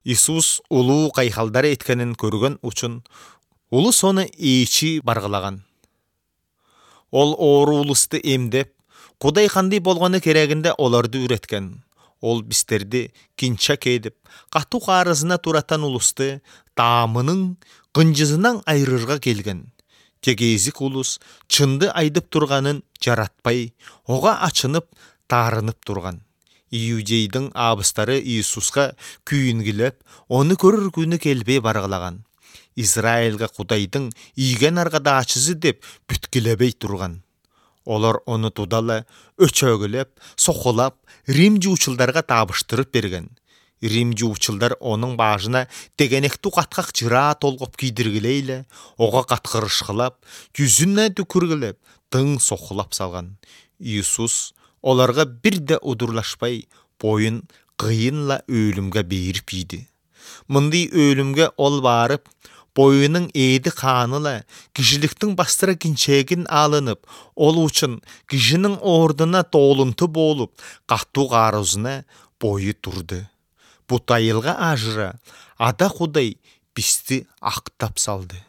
Иисус улуу кайхалдар эткенин көргөн үчүн улус ону ээчи баргылаган. Ол оору улусту эмдеп, Кудай кандай болгону керегинде олорду үйрөткөн. Ол бистерди кинча кээдип, катуу каарызына туратан улусту таамынын кынжысынан айрырга келген. Тегезик улус чынды айдып турганын жаратпай, ого ачынып, таарынып турган. Иудейдин абыстары Иисуска күйүнгүлөп, ону көрөр күнү келбей баргылаган. Израилга Кудайдын ийген аргадачысы деп бүткүлөбөй турган. Олар ону тудала өчөгүлөп, сокулап, Рим жуучулдарга табыштырып берген. Рим жуучулдар онун башына тегенектүү каткак жыра толгоп кийдиргилейле, ого каткырышкылап, жүзүнө түкүргүлөп, тың сокулап салган. Иисус оларга бирде удурлашпай, боюн кыйынла өлүмгө берип ийди. Мындай өлүмгө ол барып, боюнун эди кааныла кишиликтин бастыра кинчегин алынып, ол үчүн кишинин ордуна тоолунту болуп, катуу каарызына бою турду. Бут айылга ажыра Ада Кудай бизди актап салды.